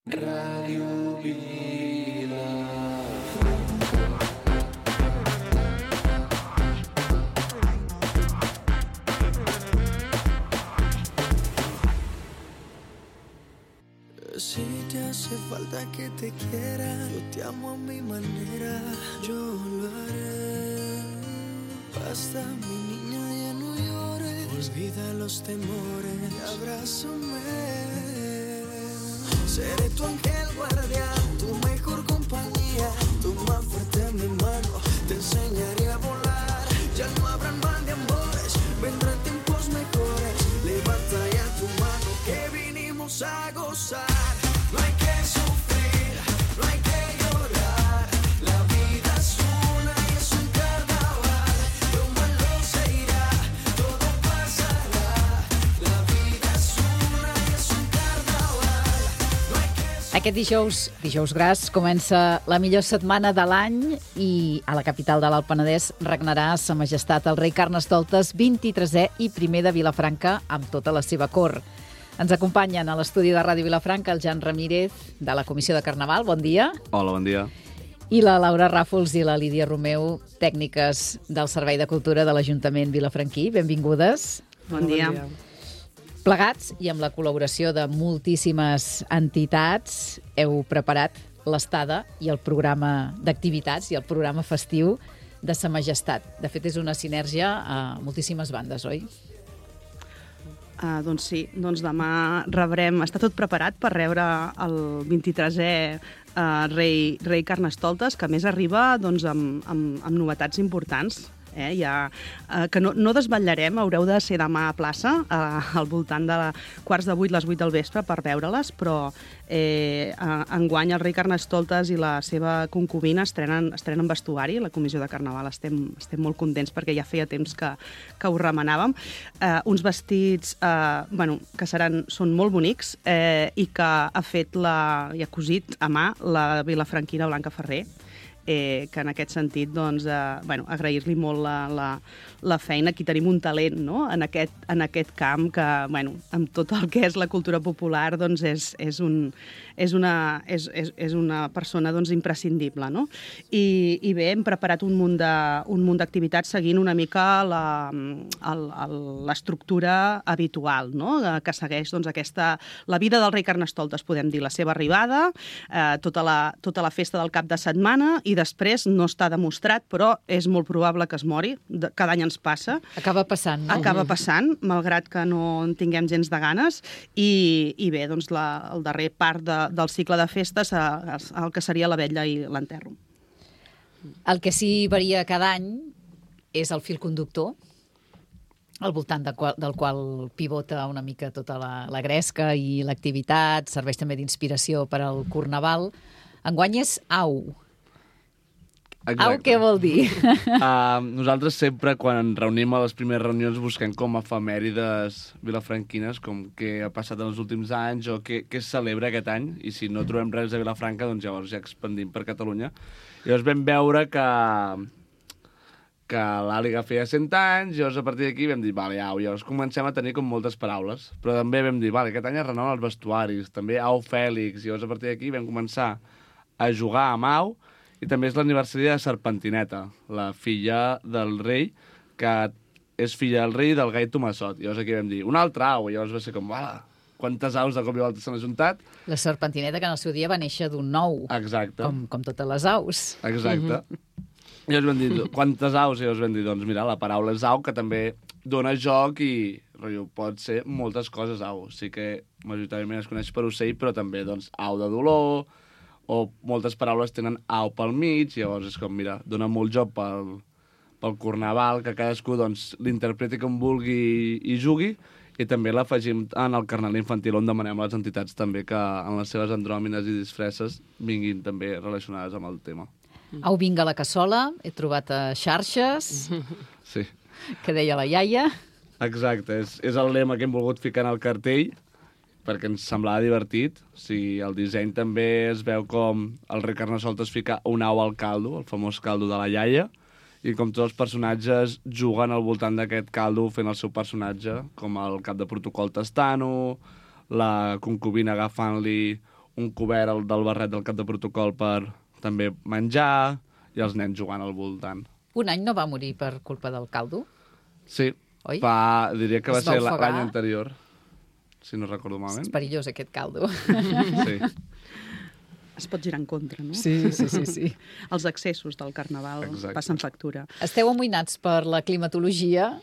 Ràdio Vila. Si te hace falta que te quiera, yo te amo a mi manera, yo lo haré. Basta, mi niña, ya no llores, olvida los temores y abrázame. Seré tu ángel guardián, tu mejor compañía, tu más fuerte en mi mano, te enseñaré a volar. Ya no habrán mal de amores, vendrán tiempos mejores. Levanta ya tu mano que vinimos a gozar. No hay que sufrir, no hay que llorar. La vida es una y es un carnaval. Lo malo se irá, todo pasará. La vida es una y es un carnaval. No hay que... Aquest dijous gras, comença la millor setmana de l'any i a la capital de l'Alt Penedès regnarà Sa Majestat el rei Carnestoltes 23è i primer de Vilafranca amb tota la seva cort. Ens acompanyen a l'estudi de Ràdio Vilafranca el Jan Ramírez, de la Comissió de Carnaval. Bon dia. Hola, bon dia. I la Laura Ràfols i la Lídia Romeu, tècniques del Servei de Cultura de l'Ajuntament vilafranquí. Benvingudes. Bon dia. Plegats i amb la col·laboració de moltíssimes entitats, heu preparat l'estada i el programa d'activitats i el programa festiu de Sa Majestat. De fet, és una sinergia a moltíssimes bandes, oi? Doncs sí, doncs demà rebrem... Està tot preparat per rebre el 23è rei Carnestoltes, que a més arriba doncs, amb novetats importants. Que no desvetllarem, haureu de ser demà a plaça, al voltant de quarts de 8, les 8 del vespre, per veure-les, però enguany el rei Carnestoltes i la seva concubina estrenen vestuari. La Comissió de Carnaval estem molt contents perquè ja feia temps que ho remenàvem. Uns vestits que són molt bonics i que ha fet i ha cosit a mà la vilafranquina Blanca Ferrer, que en aquest sentit agrair-li molt la feina. Aquí tenim un talent, no?, en aquest camp que, amb tot el que és la cultura popular, doncs és una persona imprescindible, no? I bé, hem preparat un munt d'activitats seguint una mica l'estructura habitual, no?, que segueix la vida del rei Carnestoltes, podem dir, la seva arribada, tota la festa del cap de setmana, i després no està demostrat, però és molt probable que es mori. Cada any ens passa. Acaba passant, no? Acaba passant, malgrat que no en tinguem gens de ganes. I bé, doncs el darrer part del cicle de festes, el que seria la vetlla i l'enterro. El que sí varia cada any és el fil conductor, al voltant del qual pivota una mica tota la gresca i l'activitat, serveix també d'inspiració per al Carnaval. Enguany és Au. Exacte. Au, què vol dir? Nosaltres sempre, quan ens reunim a les primeres reunions, busquem com efemèrides vilafranquines, com què ha passat en els últims anys o què es celebra aquest any, i si no trobem res de Vilafranca, doncs llavors ja expandim per Catalunya. Llavors vam veure que l'Àliga feia 100 anys, llavors a partir d'aquí vam dir, vale, au, llavors comencem a tenir com moltes paraules, però també vam dir, vale, aquest any es renoven els vestuaris, també Au Fèlix, llavors a partir d'aquí vam començar a jugar amb Au, i també és l'aniversari de Serpentineta, la filla del rei, que és filla del rei del gai Tomassot. Llavors aquí vam dir, un altre au, i llavors va ser com, quantes aus de cop i volta s'han ajuntat. La Serpentineta, que en el seu dia va néixer d'un ou. Exacte. Com totes les aus. Exacte. I llavors vam dir, quantes aus? I llavors vam dir, doncs mira, la paraula és au, que també dona joc i pot ser moltes coses au. Sí que majoritàriament es coneix per ocell, però també doncs au de dolor, o moltes paraules tenen au pel mig, llavors és com, mira, dona molt joc pel Carnaval, que cadascú doncs, l'interpreti com vulgui i jugui, i també l'afegim en el Carnaval infantil, on demanem a les entitats també que en les seves andròmines i disfresses vinguin també relacionades amb el tema. Au, vinga la cassola, he trobat a xarxes, Sí. que deia la iaia. Exacte, és el lema que hem volgut ficar en el cartell, perquè ens semblava divertit. O sigui, el disseny també es veu com el rei Carnestoltes fica un au al caldo, el famós caldo de la iaia, i com tots els personatges juguen al voltant d'aquest caldo fent el seu personatge, com el cap de protocol Tastano, la concubina agafant-li un cobert del barret del cap de protocol per també menjar i els nens jugant al voltant. Un any no va morir per culpa del caldo? Sí, Oi? diria que va Es va ser ofegar? l'any anterior, si no recordo És malament. perillós, aquest caldo. Sí. Es pot girar en contra, no? Sí. Els excessos del carnaval Exacte. passen factura. Esteu amoïnats per la climatologia,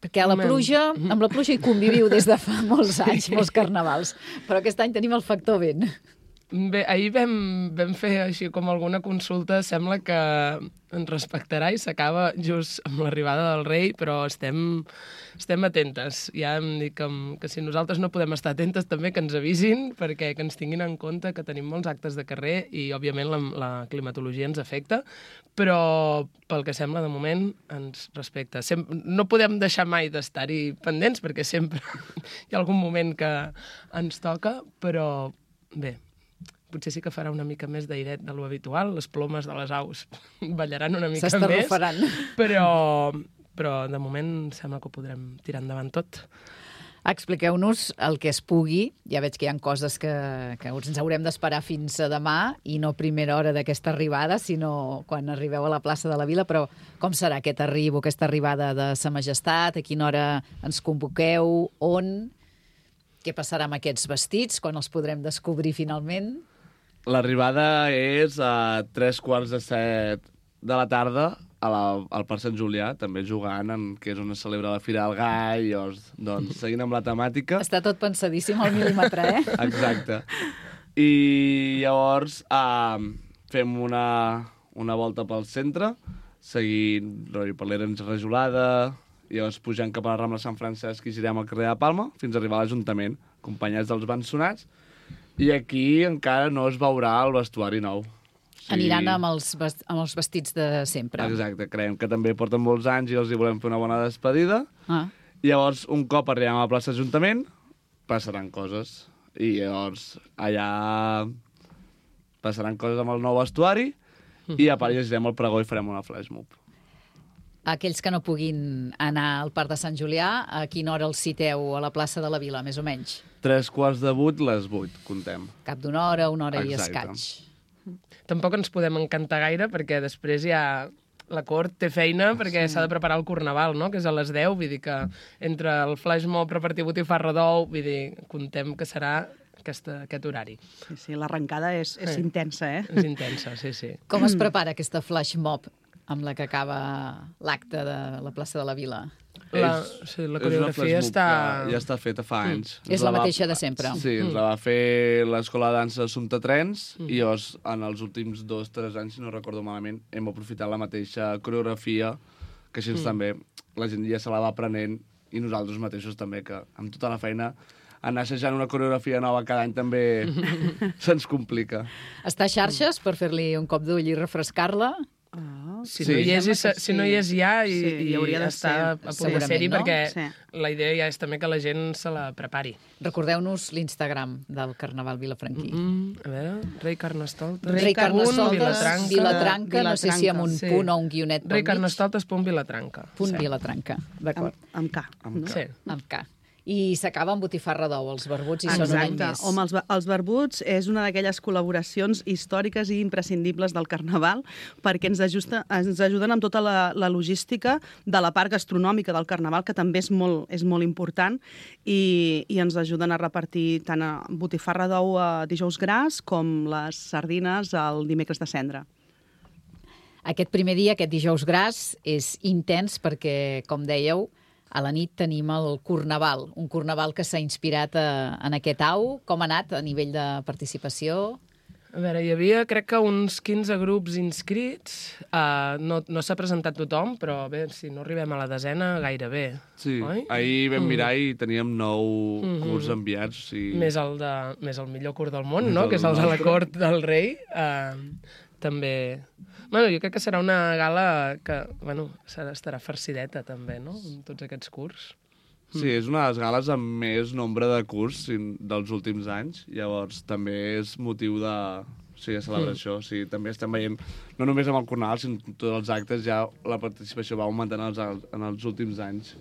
perquè a la Home. pluja, amb la pluja hi conviviu des de fa molts anys, molts carnavals, però aquest any tenim el factor vent. Bé, ahir vam fer així com alguna consulta, sembla que ens respectarà i s'acaba just amb l'arribada del rei, però estem atentes. Ja em dic que si nosaltres no podem estar atentes també que ens avisin, perquè que ens tinguin en compte que tenim molts actes de carrer i, òbviament, la climatologia ens afecta, però pel que sembla, de moment, ens respecta. No podem deixar mai d'estar-hi pendents, perquè sempre hi ha algun moment que ens toca, però bé, potser sí que farà una mica més d'airet de lo habitual, les plomes de les aus ballaran una mica més, S'estarrufaran. però de moment sembla que ho podrem tirar endavant tot. Expliqueu-nos el que es pugui. Ja veig que hi ha coses que ens haurem d'esperar fins a demà i no a primera hora d'aquesta arribada, sinó quan arribeu a la plaça de la Vila. Però com serà aquest aquesta arribada de Sa Majestat? A quina hora ens convoqueu? On? Què passarà amb aquests vestits? Quan els podrem descobrir finalment? L'arribada és a 7:15 de la tarda al Parc Sant Julià, també jugant, que és on es celebra la Fira del Gall, doncs seguint amb la temàtica. Està tot pensadíssim al mil·límetre, eh? Exacte. I llavors fem una volta pel centre, seguint per l'Erens Rajolada, i llavors pujant cap a la Rambla Sant Francesc i girem al carrer de Palma fins a arribar a l'Ajuntament, acompanyats dels bensonats. I aquí encara no es veurà el vestuari nou. Aniran amb els vestits de sempre. Exacte, creiem que també porten molts anys i els hi volem fer una bona despedida. I llavors, un cop arribem a la plaça Ajuntament, passaran coses. I llavors, allà passaran coses amb el nou vestuari i a part llegirem el pregó i farem una flash mob. Aquells que no puguin anar al Parc de Sant Julià, a quina hora els citeu a la plaça de la Vila, més o menys? 7:45, les 8, contem. Cap d'una hora, una hora i Exacte. escaig. Tampoc ens podem encantar gaire, perquè després ja la cort té feina, perquè s'ha de preparar el Carnaval, no?, que és a les 10, vull dir que entre el flash mob, repartir botifarra d'ou, vull dir, contem que serà aquest horari. Sí, l'arrencada és intensa, eh? És intensa, sí. Com es prepara aquesta flash mob amb la que acaba l'acte de la plaça de la Vila? La És una coreografia flash mob està... que ja està feta fa anys. És la mateixa de sempre. Sí, ens la va fer l'Escola de Dansa Assumpta Trens i llavors, en els últims 2-3 anys, si no recordo malament, hem aprofitat la mateixa coreografia, que així també la gent ja se la va aprenent i nosaltres mateixos també, que amb tota la feina anar assajant una coreografia nova cada any també se'ns complica. Està a xarxes per fer-li un cop d'ull i refrescar-la? Si Sí. no hi és ja i hi hauria de està ser. a punt de Segurament, ser-hi, no? perquè Sí. la idea ja és també que la gent se la prepari. Recordeu-nos l'Instagram del Carnaval vilafranquí. A veure, Rei Carnestoltes. Rei Carnestoltes, Vilatranca. Vilatranca, no sé si amb un Sí. punt o un guionet pel Rei mig. Carnestoltes.vilatranca. Punt Vilatranca, d'acord. Amb K. No? Sí. Amb K. I s'acaba amb botifarra d'ou, els barbuts, i són un any més. Home, els barbuts és una d'aquelles col·laboracions històriques i imprescindibles del Carnaval perquè ens ajuden amb tota la logística de la part gastronòmica del Carnaval, que també és molt important, i ens ajuden a repartir tant a botifarra d'ou a dijous gras com les sardines el dimecres de cendra. Aquest primer dia, aquest dijous gras, és intens perquè, com dèieu, a la nit tenim el Carnaval, un Carnaval que s'ha inspirat en aquest au. Com ha anat a nivell de participació? A veure, hi havia, crec que uns 15 grups inscrits. No s'ha presentat tothom, però bé, si no arribem a la desena, gairebé. Sí, Oi? ahir vam mirar i teníem 9 curs enviats. Més el millor curt del món, no?, que és el de la cort del rei. També... Bueno, jo crec que serà una gala que, bueno, estarà farcideta, també, no?, amb tots aquests curs. Sí, és una de les gales amb més nombre de curs dels últims anys. Llavors, també és motiu de celebració. Sí, també estem veient, no només amb el Carnaval, sinó en tots els actes, ja la participació va augmentant en els últims anys.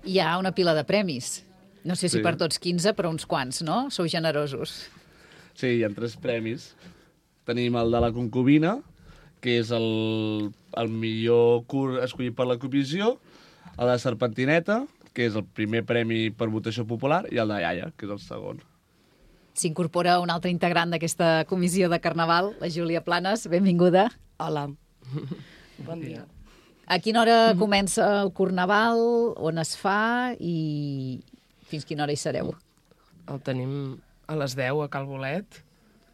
Hi ha una pila de premis. No sé si Sí. per tots 15, però uns quants, no? Sou generosos. Sí, hi ha 3 premis. Tenim el de la concubina, que és el millor curt escollit per la comissió, el de Serpentineta, que és el primer premi per votació popular, i el de Iaia, que és el segon. S'incorpora un altre integrant d'aquesta comissió de Carnaval, la Júlia Planes. Benvinguda. Hola. Bon dia. A quina hora comença el Carnaval, on es fa i fins quina hora hi sereu? El tenim a les 10 a Cal Bolet.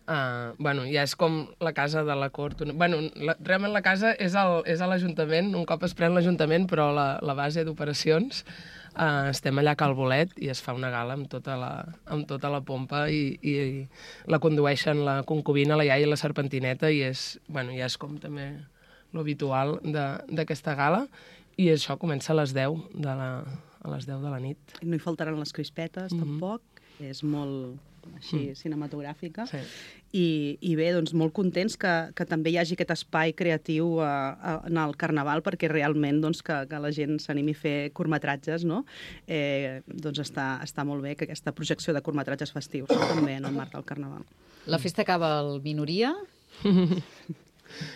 Ja és com la casa de la cort. Realment la casa és a l'Ajuntament, un cop es pren l'Ajuntament, però la base d'operacions estem allà a Cal Bolet i es fa una gala amb tota la pompa i la condueixen la concubina, la iaia i la serpentineta i ja és com també l'habitual d'aquesta gala i això comença a les 10 de la nit. No hi faltaran les crispetes, tampoc. És molt així cinematogràfica. Sí. I bé, doncs molt contents que també hi hagi aquest espai creatiu en el Carnaval perquè realment doncs, que la gent s'animi a fer curtmetratges, no? Doncs està molt bé que aquesta projecció de curtmetratges festius també en el marc del Carnaval. La festa acaba al Minoria?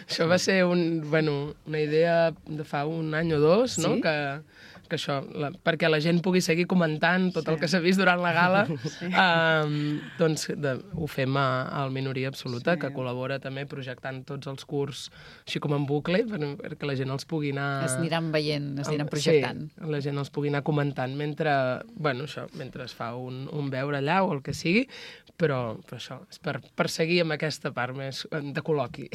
Això va ser una idea de fa un any o dos, no? Sí? Que això, perquè la gent pugui seguir comentant tot el que s'ha vist durant la gala, doncs ho fem al Minoria Absoluta, que col·labora també projectant tots els curts així com en bucle, perquè la gent els pugui anar... Es aniran veient, es aniran projectant. Sí, la gent els pugui anar comentant mentre es fa un veure allà o el que sigui, però això és per seguir amb aquesta part més de col·loqui.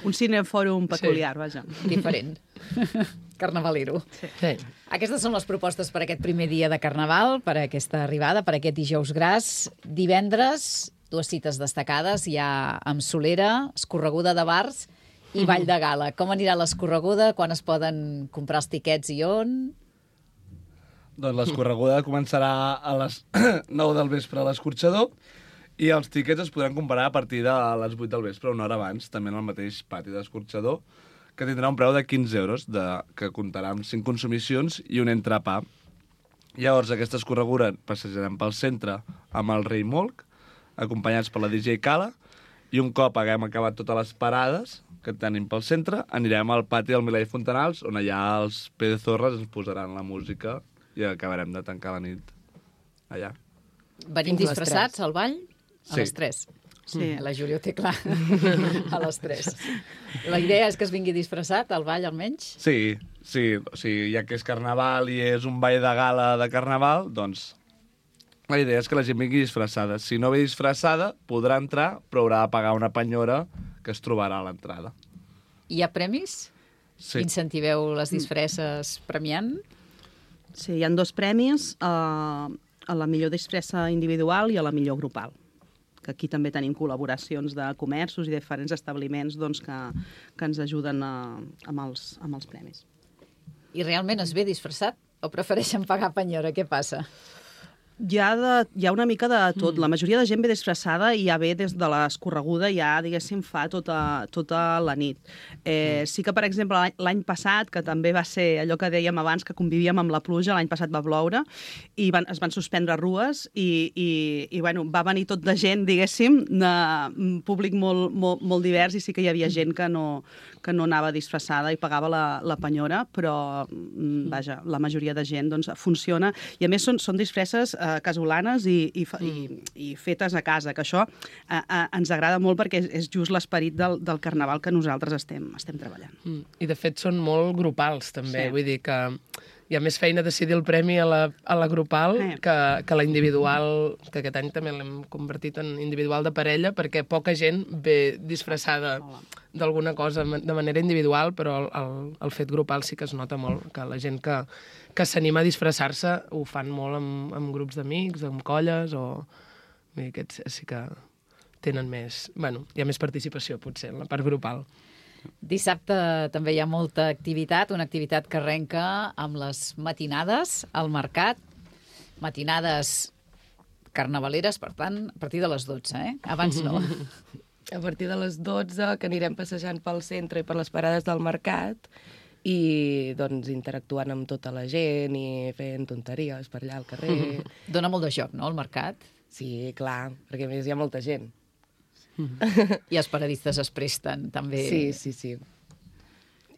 Un cinefòrum peculiar, vaja. Diferent. Carnavalero. Sí. Aquestes són les propostes per aquest primer dia de Carnaval, per aquesta arribada, per aquest dijous gras. Divendres, 2 cites destacades. Hi ha amb Solera, escorreguda de bars i ball de gala. Com anirà l'escorreguda? Quan es poden comprar els tiquets i on? Doncs l'escorreguda començarà a les 9 del vespre a l'escorxador i els tiquets es podran comprar a partir de les 8 del vespre, una hora abans, també en el mateix pati d'escorxador, que tindrà un preu de 15 euros, que comptarà amb 5 consumicions i un entrepà. Llavors, aquesta escorreguda passejarem pel centre amb el Rei Molc, acompanyats per la DJ Cala, i un cop haguem acabat totes les parades que tenim pel centre, anirem al pati del Milà i Fontanals, on allà els Pedezorres ens posaran la música i acabarem de tancar la nit allà. Venim Fins les disfressats al ball? A Sí. les 3. Sí. La Júlia ho té clar. A les 3. La idea és que es vingui disfressat al ball, almenys? Sí, o sigui, ja que és carnaval i és un ball de gala de carnaval, doncs la idea és que la gent vingui disfressada. Si no ve disfressada, podrà entrar, però haurà de pagar una penyora que es trobarà a l'entrada. Hi ha premis? Sí. Incentiveu les disfresses premiant? Sí, hi ha 2 premis, a la millor disfressa individual i a la millor grupal. Que aquí també tenim col·laboracions de comerços i diferents establiments doncs, que ens ajuden amb els premis. I realment es ve disfressat o prefereixen pagar penyora? Què passa? Hi ha una mica de tot. La majoria de gent ve disfressada i ja ve des de l'escorreguda, ja, diguéssim, fa tota la nit. Sí que, per exemple, l'any passat, que també va ser allò que dèiem abans, que convivíem amb la pluja, l'any passat va ploure, i es van suspendre rues, i va venir tot de gent, diguéssim, un públic molt divers, i sí que hi havia gent que no anava disfressada i pagava la penyora, però, vaja, la majoria de gent doncs, funciona. I, a més, són disfresses casolanes i fetes a casa, que això ens agrada molt perquè és just l'esperit del Carnaval que nosaltres estem treballant. I, de fet, són molt grupals, també. Sí. Vull dir que hi ha més feina decidir el premi a la grupal que la individual, que aquest any també l'hem convertit en individual de parella, perquè poca gent ve disfressada d'alguna cosa de manera individual, però el fet grupal sí que es nota molt, que la gent que s'anima a disfressar-se ho fan molt amb grups d'amics, amb colles, o... Vull dir, aquests sí que tenen més... hi ha més participació, potser, en la part grupal. Dissabte també hi ha molta activitat, una activitat que arrenca amb les matinades al mercat. Matinades carnavaleres, per tant, a partir de les 12, Abans no. A partir de les 12, que anirem passejant pel centre i per les parades del mercat i doncs interactuant amb tota la gent i fent tonteries per allà al carrer. Dóna molt de joc, no, el mercat? Sí, clar, perquè a més hi ha molta gent. I els paradistes es presten, també. Sí.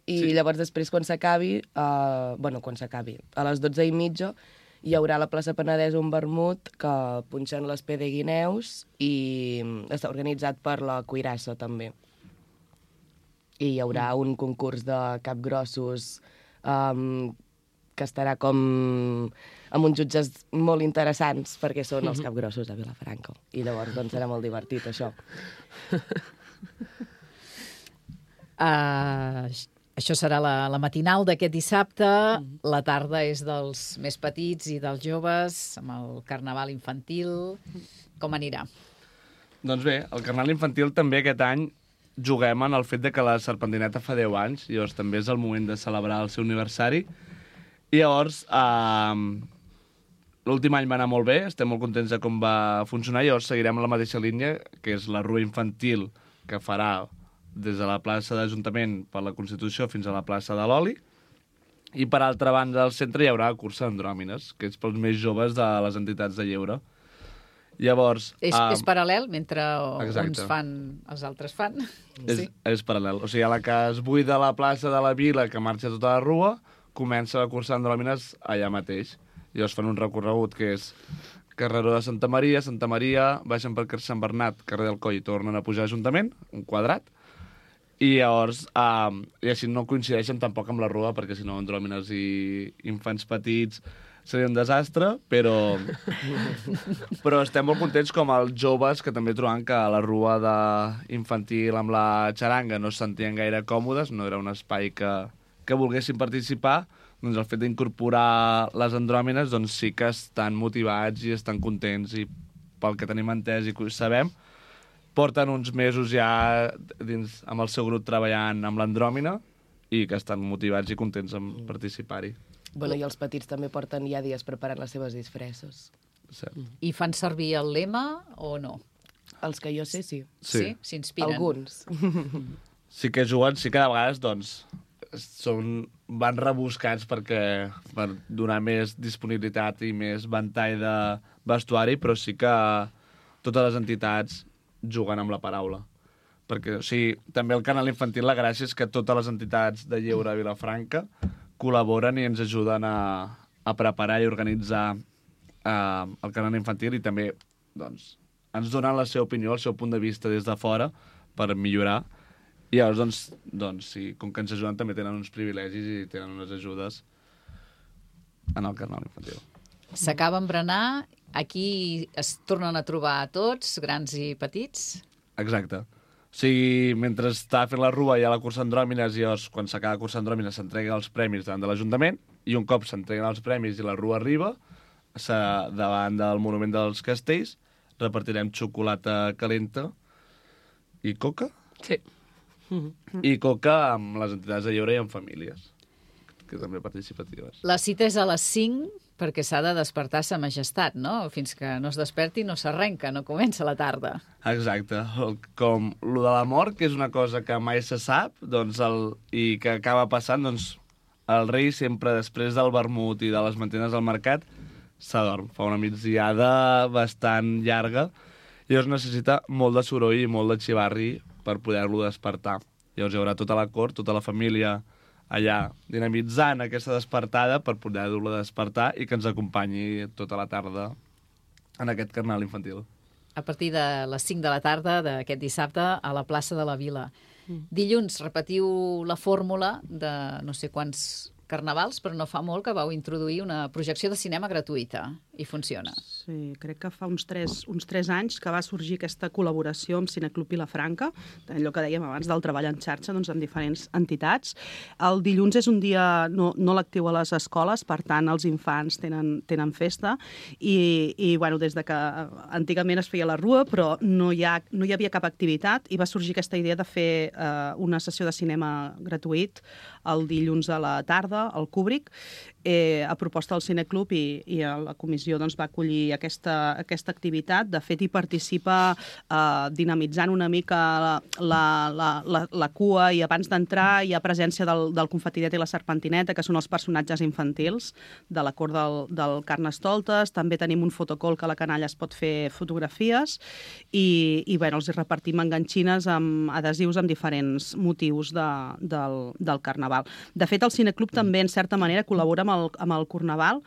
I llavors després, quan s'acabi, a les 12:30, hi haurà a la plaça Penedès un vermut que punxen l'espé de guineus i està organitzat per la Cuirassa, també. I hi haurà un concurs de capgrossos que estarà com amb uns jutges molt interessants perquè són els capgrossos de Vilafranca. I llavors doncs, serà molt divertit, això. Això serà la matinal d'aquest dissabte. La tarda és dels més petits i dels joves, amb el carnaval infantil. Com anirà? Doncs bé, el carnaval infantil també aquest any juguem en el fet de que la Serpentineta fa 10 anys, i llavors també és el moment de celebrar el seu aniversari. I llavors, l'últim any va anar molt bé, estem molt contents de com va funcionar, i llavors seguirem la mateixa línia, que és la rua infantil que farà des de la plaça d'Ajuntament per la Constitució fins a la plaça de l'Oli, i per altra banda del centre hi haurà cursa d'andròmines, que és pels més joves de les entitats de lleure. Llavors... És paral·lel, mentre exacte. Uns fan, els altres fan. És paral·lel. O sigui, a la que es buida la plaça de la Vila, que marxa tota la rua, comença la cursa d'andròmines allà mateix. I llavors fan un recorregut que és carreró de Santa Maria, baixen per Sant Bernat, carrer del Coll, i tornen a pujar a l'Ajuntament, un quadrat, i llavors, i així no coincideixen tampoc amb la rua, perquè si no, andròmines i infants petits seria un desastre, però estem molt contents com els joves, que també trobem que a la rua infantil amb la xaranga no es sentien gaire còmodes, no era un espai que volguessin participar, doncs el fet d'incorporar les andròmines doncs sí que estan motivats i estan contents, i pel que tenim entès i que ho sabem, porten uns mesos ja amb el seu grup treballant amb l'andròmina i que estan motivats i contents en participar-hi. Bueno, i els petits també porten ja dies preparant les seves disfresses. I fan servir el lema o no? Els que jo sé, sí. Sí? S'inspiren? Alguns. Sí que juguen, sí que de vegades doncs, van rebuscats per donar més disponibilitat i més ventall de vestuari, però sí que totes les entitats juguen amb la paraula. Perquè, o sigui, també el canal infantil, la gràcia és que totes les entitats de lleure a Vilafranca col·laboren i ens ajuden a preparar i organitzar el canal infantil, i també doncs, ens donen la seva opinió, el seu punt de vista des de fora per millorar. I llavors, doncs sí, com que ens ajuden, també tenen uns privilegis i tenen unes ajudes en el canal infantil. S'acaba amb berenar, aquí es tornen a trobar tots, grans i petits? Exacte. O sigui, mentre està fent la rua hi ha la cursa d'andròmines, i llavors, quan s'acaba la cursa d'andròmines, s'entreguen els premis davant de l'Ajuntament, i un cop s'entreguen els premis i la rua arriba, davant del Monument dels Castells, repartirem xocolata calenta i coca. Sí. I coca amb les entitats de lleure i amb famílies, que també participatives. La cita és a les 5, perquè s'ha de despertar sa majestat, no? Fins que no es desperti no s'arrenca, no comença la tarda. Exacte. Com lo de la mort, que és una cosa que mai se sap, doncs i que acaba passant, doncs el rei sempre, després del vermut i de les mantines al mercat, s'adorm. Fa una migdiada bastant llarga, i llavors necessita molt de soroll i molt de xivarri per poder-lo despertar. Llavors hi haurà tota la cort, tota la família allà dinamitzant aquesta despertada per poder-lo despertar i que ens acompanyi tota la tarda en aquest carnaval infantil. A partir de les 5 de la tarda d'aquest dissabte a la plaça de la Vila. Dilluns repetiu la fórmula de no sé quants carnavals, però no fa molt que vau introduir una projecció de cinema gratuïta i funciona. Sí, crec que fa uns 3 anys que va sorgir aquesta col·laboració amb Cineclub Vilafranca, allò que dèiem abans del treball en xarxa, doncs, amb diferents entitats. El dilluns és un dia no lectiu a les escoles, per tant els infants tenen festa, i bueno, des de que antigament es feia la rua, però no hi havia cap activitat, i va sorgir aquesta idea de fer una sessió de cinema gratuït el dilluns a la tarda, al Kubrick, a proposta del Cineclub, i la comissió doncs, va acollir aquesta activitat. De fet, hi participa dinamitzant una mica la cua, i abans d'entrar hi ha presència del Confetinet i la Serpentineta, que són els personatges infantils de la cort del Carnestoltes. També tenim un fotocol que a la canalla es pot fer fotografies i bueno, els repartim enganxines amb adhesius amb diferents motius del Carnaval. De fet, el Cineclub també, en certa manera, col·labora amb el Carnaval.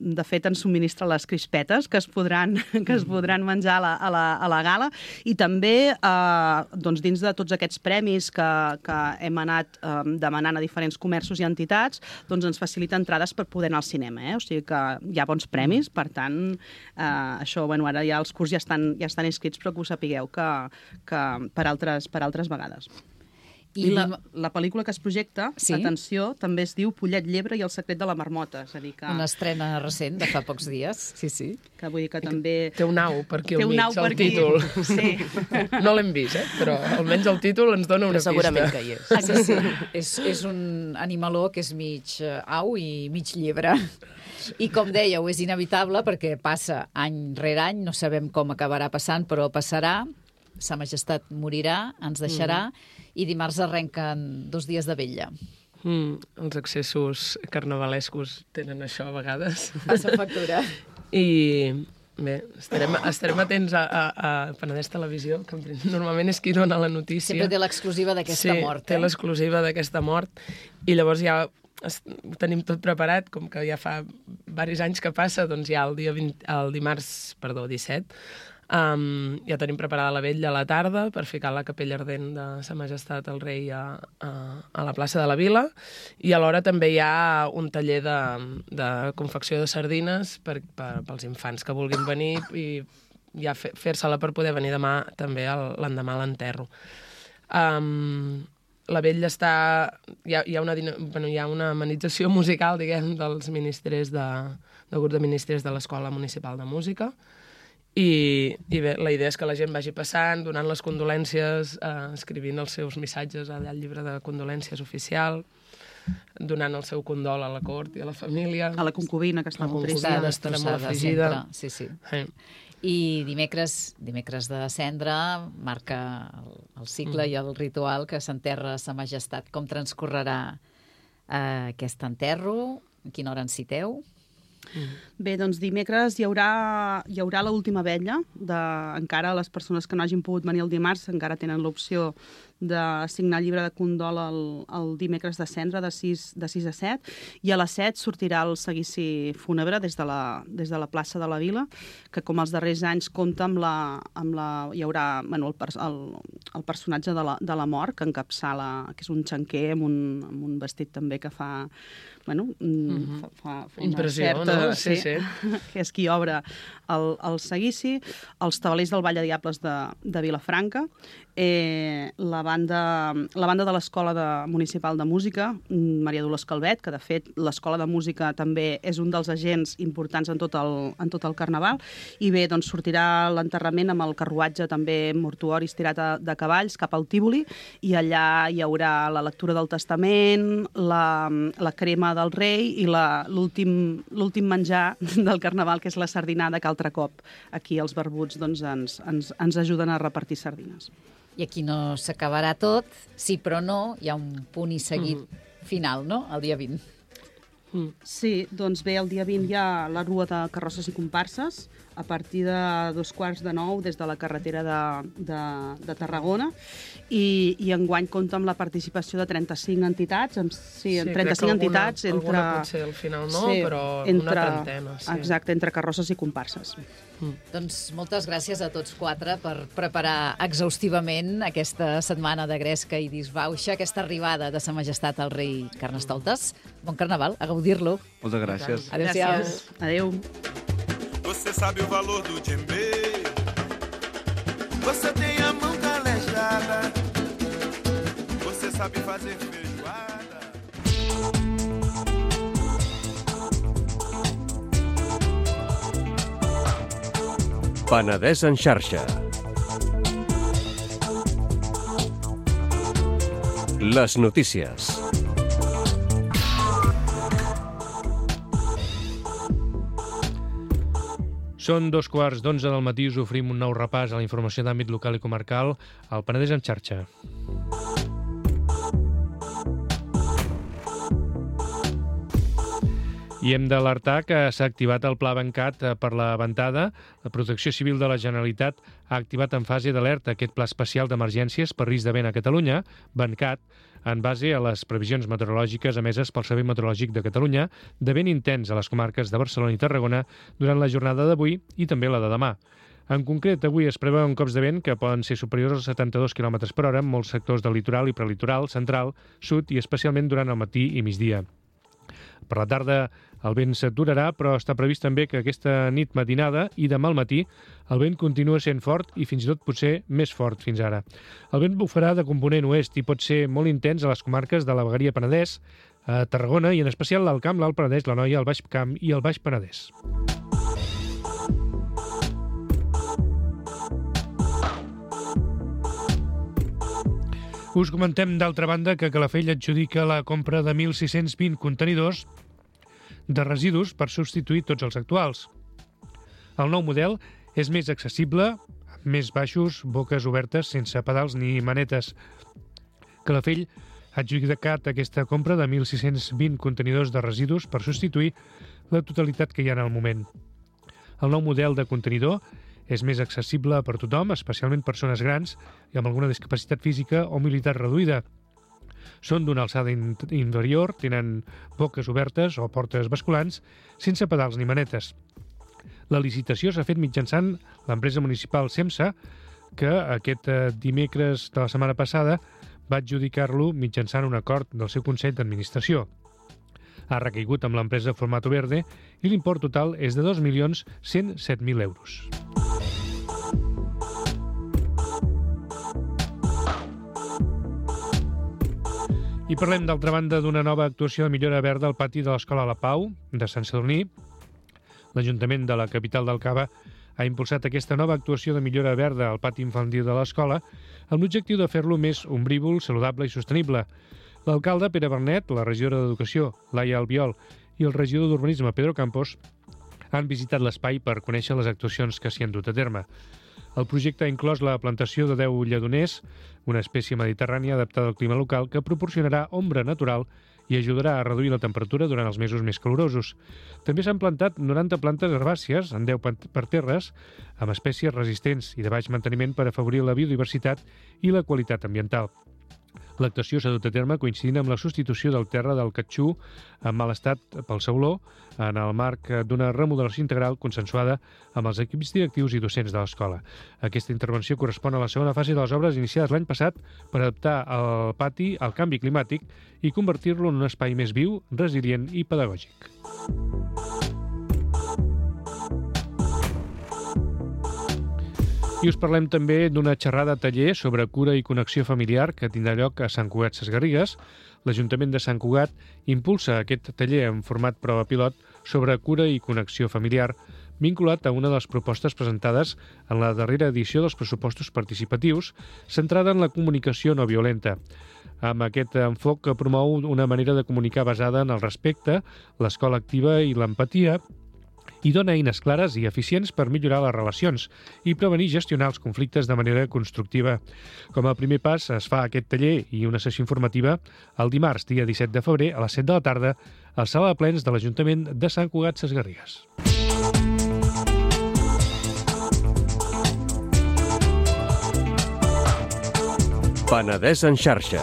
De fet, ens subministra les crispetes que es podran menjar a la gala, i també doncs, dins de tots aquests premis que hem anat demanant a diferents comerços i entitats, doncs ens facilita entrades per poder anar al cinema. O sigui que hi ha bons premis, per tant, això, bueno, ara ja els curs ja estan inscrits, però que ho sapigueu que per altres vegades. I la pel·lícula que es projecta, sí? Atenció, també es diu Pollet, llebre i el secret de la marmota. És a dir que... Una estrena recent, de fa pocs dies. Sí. Que vull dir que també... Té un au per aquí al mig, el títol. Sí. No l'hem vist, però almenys el títol ens dona una pista. Segurament que hi és. És un animaló que és mig au i mig llebre. I com dèieu, és inevitable perquè passa any rere any, no sabem com acabarà passant, però passarà. Sa Majestat morirà, ens deixarà, i dimarts arrenquen 2 dies de vetlla. Els excessos carnavalescos tenen això a vegades. Passa factura. I bé, estarem atents a Penedès Televisió, que normalment és qui dona la notícia. Sempre té l'exclusiva d'aquesta mort. Sí, té l'exclusiva d'aquesta mort, i llavors ja ho tenim tot preparat, com que ja fa diversos anys que passa, doncs ja el dimarts 17, ja tenim preparada la vetlla a la tarda per ficar la capella ardent de Sa Majestat el Rei a la plaça de la Vila, i alhora també hi ha un taller de confecció de sardines pels infants que vulguin venir, i ja fer-se-la per poder venir demà també l'endemà a l'enterro. La vetlla està... Hi ha una amenització musical, diguem, dels ministres del grup de ministres de l'Escola Municipal de Música, i bé, la idea és que la gent vagi passant, donant les condolències, escrivint els seus missatges allà al llibre de condolències oficial, donant el seu condol a la cort i a la família. A la concubina, que està molt trista. Estarà molt afligida. Sí. I dimecres de Cendra marca el cicle i el ritual que s'enterra Sa Majestat. Com transcorrerà aquest enterro? A quina hora ens citeu? Bé, doncs dimecres hi haurà l'última vetlla. Encara les persones que no hagin pogut venir el dimarts encara tenen l'opció de signar el llibre de condol el dimecres de Cendra de 6 a 7, i a les 7 sortirà el seguici fúnebre des de la plaça de la Vila, que com els darrers anys compta hi haurà el personatge de la mort, que encapçala, que és un xanquer amb un vestit també que fa fa impressió, certa, no? Sí. Que és qui obre el seguici, els tabalers del Ball de Diables de Vilafranca, la banda de l'Escola Municipal de Música, Maria Dolors Calvet, que de fet l'Escola de Música també és un dels agents importants en tot el Carnaval, i bé, doncs sortirà l'enterrament amb el carruatge també mortuori estirat de cavalls cap al Tívoli, i allà hi haurà la lectura del testament, la crema del rei i l'últim menjar del Carnaval, que és la sardinada, que altre cop aquí els barbuts doncs, ens ajuden a repartir sardines. I aquí no s'acabarà tot, sí però no, hi ha un punt i seguit final, no?, el dia 20. Sí, doncs bé, el dia 20 hi ha la rua de carrosses i comparses, a partir de 8:45 des de la carretera de Tarragona, i enguany compta amb la participació de 35 entitats, 35 entitats entre... Alguna potser al final no, però una trentena. Sí. Exacte, entre carrosses i comparses. Doncs moltes gràcies a tots 4 per preparar exhaustivament aquesta setmana de gresca i disbauxa, aquesta arribada de Sa Majestat al Rei Carnestoltes. Bon Carnaval, a gaudir-lo. Moltes gràcies. Adéu-siau. Adéu. Você sabe o valor do djembe. Você tem a mão calejada. Você sabe fazer feijoada. Penedès en xarxa. Les notícies. Són 2:15 del matí, us oferim un nou repàs a la informació d'àmbit local i comarcal al Penedès en xarxa. I hem d'alertar que s'ha activat el Pla Bancat per la ventada. La Protecció Civil de la Generalitat ha activat en fase d'alerta aquest Pla Especial d'Emergències per risc de vent a Catalunya, Bancat, en base a les previsions meteorològiques emeses pel Servei Meteorològic de Catalunya de vent intens a les comarques de Barcelona i Tarragona durant la jornada d'avui i també la de demà. En concret, avui es preveuen cops de vent que poden ser superiors als 72 km per hora en molts sectors del litoral i prelitoral, central, sud i especialment durant el matí i migdia. Per la tarda el vent s'aturarà, però està previst també que aquesta nit matinada i demà al matí el vent continua sent fort i fins i tot potser més fort fins ara. El vent bufarà de component oest i pot ser molt intens a les comarques de la Vegueria Penedès, a Tarragona i en especial l'Alt Camp, l'Alt Penedès, l'Anoia, el Baix Camp i el Baix Penedès. Us comentem, d'altra banda, que Calafell adjudica la compra de 1.620 contenidors de residus per substituir tots els actuals. El nou model és més accessible, amb més baixos, boques obertes, sense pedals ni manetes. Calafell ha adjudicat aquesta compra de 1.620 contenidors de residus per substituir la totalitat que hi ha en el moment. El nou model de contenidor és més accessible per tothom, especialment persones grans i amb alguna discapacitat física o mobilitat reduïda. Són d'una alçada inferior, tenen boques obertes o portes basculants, sense pedals ni manetes. La licitació s'ha fet mitjançant l'empresa municipal SEMSA, que aquest dimecres de la setmana passada va adjudicar-lo mitjançant un acord del seu Consell d'Administració. Ha recaigut amb l'empresa Formato Verde i l'import total és de 2.107.000 euros. I parlem, d'altra banda, d'una nova actuació de millora verda al pati de l'Escola La Pau de Sant Sadurní. L'Ajuntament de la capital del Cava ha impulsat aquesta nova actuació de millora verda al pati infantil de l'escola amb l'objectiu de fer-lo més ombrívol, saludable i sostenible. L'alcalde Pere Bernet, la regidora d'Educació, Laia Albiol, i el regidor d'Urbanisme, Pedro Campos, han visitat l'espai per conèixer les actuacions que s'hi han dut a terme. El projecte ha inclòs la plantació de 10 lledoners, una espècie mediterrània adaptada al clima local que proporcionarà ombra natural i ajudarà a reduir la temperatura durant els mesos més calorosos. També s'han plantat 90 plantes herbàcies en 10 parterres amb espècies resistents i de baix manteniment per afavorir la biodiversitat i la qualitat ambiental. L'actuació s'ha dut a terme coincidint amb la substitució del terra del catxú en mal estat pel sauló en el marc d'una remodelació integral consensuada amb els equips directius i docents de l'escola. Aquesta intervenció correspon a la segona fase de les obres iniciades l'any passat per adaptar el pati al canvi climàtic i convertir-lo en un espai més viu, resilient i pedagògic. I us parlem també d'una xerrada taller sobre cura i connexió familiar que tindrà lloc a Sant Cugat Sesgarrigues. L'Ajuntament de Sant Cugat impulsa aquest taller en format prova pilot sobre cura i connexió familiar, vinculat a una de les propostes presentades en la darrera edició dels pressupostos participatius, centrada en la comunicació no violenta. Amb aquest enfoc que promou una manera de comunicar basada en el respecte, l'escola activa i l'empatia, i dona eines clares i eficients per millorar les relacions i prevenir i gestionar els conflictes de manera constructiva. Com a primer pas es fa aquest taller i una sessió informativa el dimarts, dia 17 de febrer, a les 7 de la tarda, a la sala de plens de l'Ajuntament de Sant Cugat Sesgarrigues. Penedès en xarxa.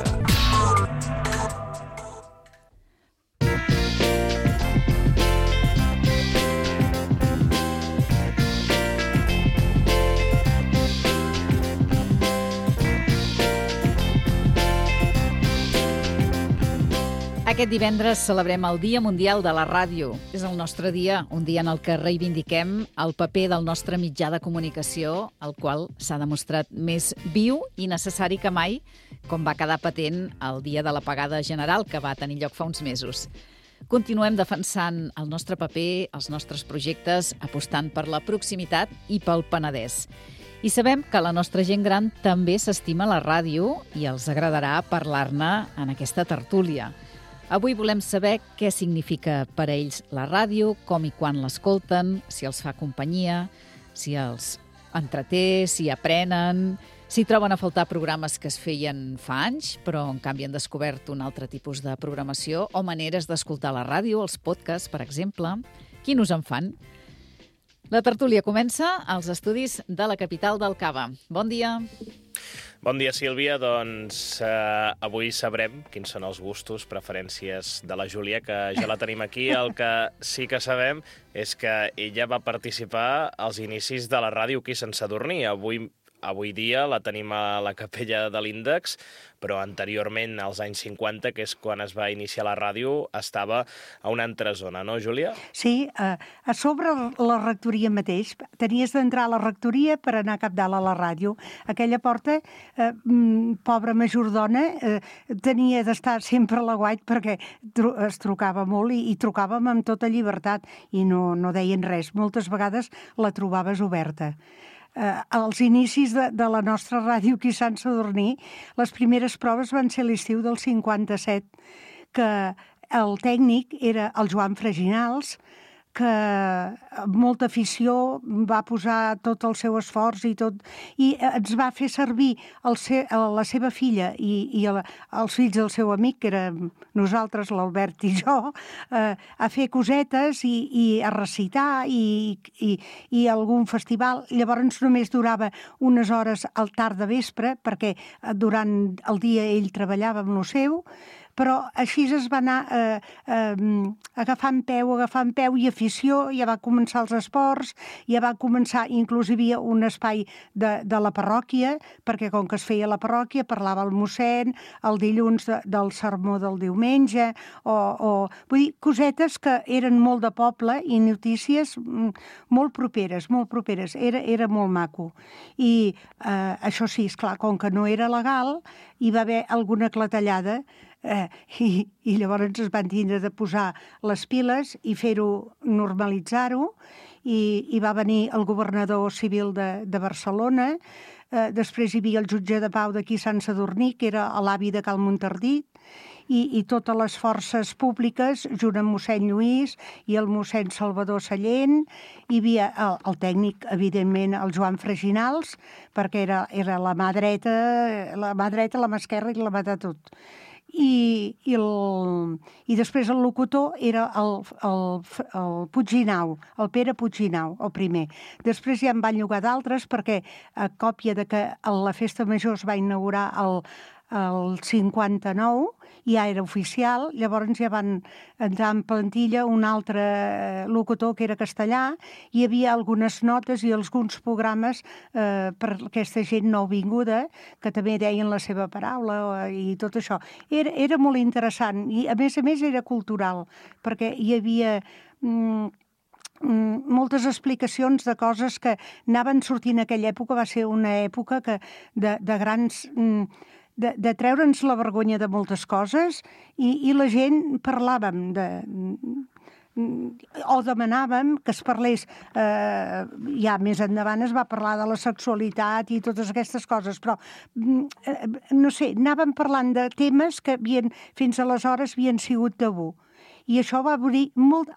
Aquest divendres celebrem el Dia Mundial de la Ràdio. És el nostre dia, un dia en el que reivindiquem el paper del nostre mitjà de comunicació, el qual s'ha demostrat més viu i necessari que mai, com va quedar patent el dia de l'apagada general que va tenir lloc fa uns mesos. Continuem defensant el nostre paper, els nostres projectes, apostant per la proximitat i pel Penedès. I sabem que la nostra gent gran també s'estima la ràdio i els agradarà parlar-ne en aquesta tertúlia. Avui volem saber què significa per a ells la ràdio, com i quan l'escolten, si els fa companyia, si els entreté, si aprenen, si troben a faltar programes que es feien fa anys, però en canvi han descobert un altre tipus de programació o maneres d'escoltar la ràdio, els podcasts, per exemple. Quin us en fan? La tertúlia comença als estudis de la capital del Cava. Bon dia. Bon dia, Sílvia. Doncs avui sabrem quins són els gustos, preferències de la Júlia, que ja la tenim aquí. El que sí que sabem és que ella va participar als inicis de la ràdio aquí a Sant Sadurní. Avui dia la tenim a la capella de l'Índex, però anteriorment, als anys 50, que és quan es va iniciar la ràdio, estava a una altra zona, no, Júlia? Sí, a sobre la rectoria mateix. Tenies d'entrar a la rectoria per anar cap dalt a la ràdio. Aquella porta, pobra majordona, tenia d'estar sempre a l'aguait perquè es trucava molt i trucàvem amb tota llibertat i no deien res. Moltes vegades la trobaves oberta. Als inicis de la nostra ràdio aquí a Sant Sadurní, les primeres proves van ser l'estiu del 57, que el tècnic era el Joan Freginals, que amb molta afició va posar tot el seu esforç i ens va fer servir la seva filla i els fills del seu amic, que érem nosaltres, l'Albert i jo, a fer cosetes i a recitar i algun festival. Llavors només durava unes hores al tard de vespre, perquè durant el dia ell treballava amb lo seu, però així es va anar agafant peu i afició, ja va començar els esports, ja va començar, inclús hi havia un espai de la parròquia, perquè com que es feia a la parròquia parlava el mossèn, el dilluns del sermó del diumenge, vull dir, cosetes que eren molt de poble i notícies molt properes, era molt maco. I això sí, esclar, com que no era legal, hi va haver alguna clatellada, i llavors es van tindre de posar les piles i fer-ho, normalitzar-ho, i va venir el governador civil de Barcelona, després hi havia el jutge de pau d'aquí Sant Sadurní, que era l'avi de Cal Montardit, i totes les forces públiques, junt amb mossèn Lluís i el mossèn Salvador Sallent, hi havia el tècnic, evidentment, el Joan Freginals, perquè era la mà dreta, la mà esquerra i la mà de tot. I després el locutor era el Puigginau, el Pere Puigginau, el primer. Després ja en van llogar d'altres perquè a còpia de que la festa major es va inaugurar el 59, ja era oficial, llavors ja van entrar en plantilla un altre locutor que era castellà, hi havia algunes notes i alguns programes per aquesta gent nouvinguda, que també deien la seva paraula i tot això. Era molt interessant i a més era cultural, perquè hi havia moltes explicacions de coses que anaven sortint en aquella època. Va ser una època de grans... de treure'ns la vergonya de moltes coses i la gent parlàvem o demanàvem que es parlés, ja més endavant es va parlar de la sexualitat i totes aquestes coses, però no sé, anàvem parlant de temes que fins aleshores havien sigut tabú. I això va obrir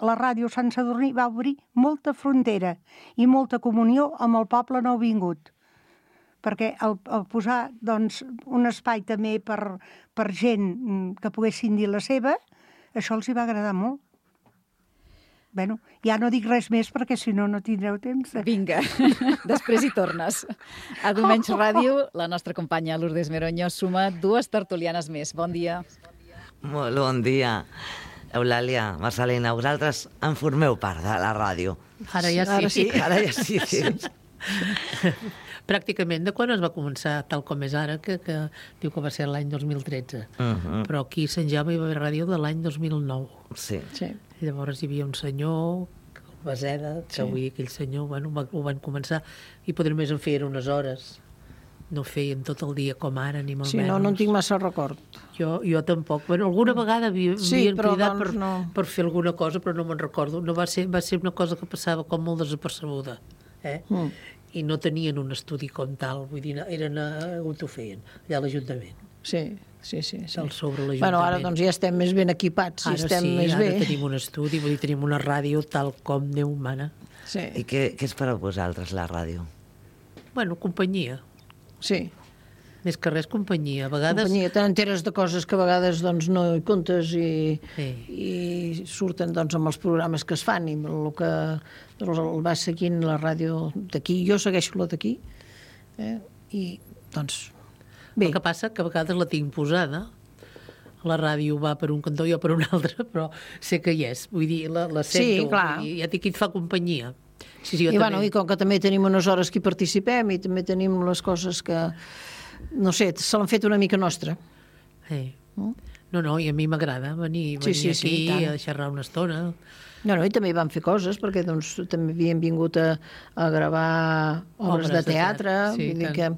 la ràdio Sant Sadurní va obrir molta frontera i molta comunió amb el poble nouvingut. Perquè al posar un espai també per gent que poguessin dir la seva, això els hi va agradar molt. Bé, ja no dic res més perquè si no tindreu temps. Vinga, després hi tornes. A Diumenge Ràdio, la nostra companya Lourdes Meroño suma 2 tertulianes més. Bon dia. Molt bon dia. Eulàlia, Marcelina, vosaltres en formeu part de la ràdio. Ara ja sí. Ara ja sí. Pràcticament de quan es va començar, tal com és ara, que diu que va ser l'any 2013. Però aquí a Sant Jaume hi va haver ràdio de l'any 2009. Sí. Llavors hi havia un senyor, el Baseda, que avui aquell senyor, ho van començar, i potser només en feien unes hores. No feien tot el dia com ara, ni molt menys. Sí, no en tinc massa record. Jo tampoc. Alguna vegada havien cridat per fer alguna cosa, però no me'n recordo. Va ser una cosa que passava com molt desapercebuda. I no tenien un estudi com tal, vull dir, ho feien allà a l'Ajuntament. Sí. Del sobre l'Ajuntament. Bueno, ara doncs ja estem més ben equipats, Ara estem sí, més bé. ara tenim un estudi, vull dir, tenim una ràdio tal com Déu mana. Sí. I què és per a vosaltres, la ràdio? Bueno, companyia. Sí. Més que res, companyia. A vegades... Companyia, t'enteres de coses que a vegades doncs, no hi comptes i surten doncs, amb els programes que es fan i el que el vas seguint la ràdio d'aquí. Jo segueixo la d'aquí i doncs bé. El que passa que a vegades la tinc posada. La ràdio va per un cantó, jo per un altre, però sé que hi és. Vull dir, la sento. Sí, clar. Vull dir, ja dic que et fa companyia. Sí, jo I, també. bueno, i com que també tenim unes hores que hi participem i també tenim les coses que, no sé, se l'han fet una mica nostra. No, i a mi m'agrada venir aquí a xerrar una estona. No, i també vam fer coses, perquè doncs, també havíem vingut a gravar obres de teatre, vull dir que